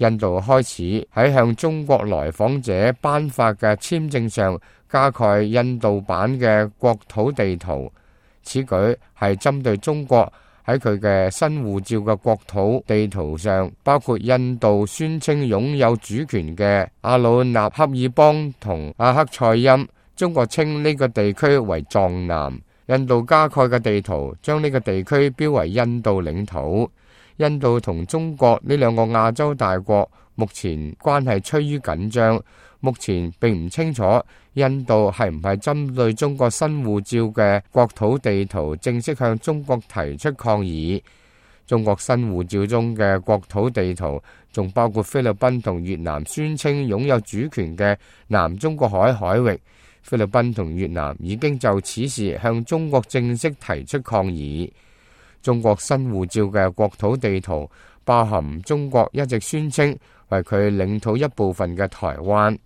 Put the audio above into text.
印度開始喺向中國來訪者頒發嘅簽證上加蓋印度版嘅國土地圖，此舉係針對中國喺佢嘅新護照嘅國土地圖上，包括印度宣稱擁有主權嘅阿魯納恰爾邦同阿克塞欽，中國稱呢個地區為藏南。印度加蓋嘅地圖將呢個地區標為印度領土。印度同中國呢兩個亞洲大國目前關係趨於緊張，目前並唔清楚印度係唔係針對中國新護照嘅國土地圖正式向中國提出抗議。中國新護照中嘅國土地圖仲包括菲律賓同越南宣稱擁有主權嘅南中國海域。菲律賓同越南已經就此事向中國正式提出抗議。中國新護照嘅國土地圖包含中國一直宣稱為佢領土一部分嘅台灣。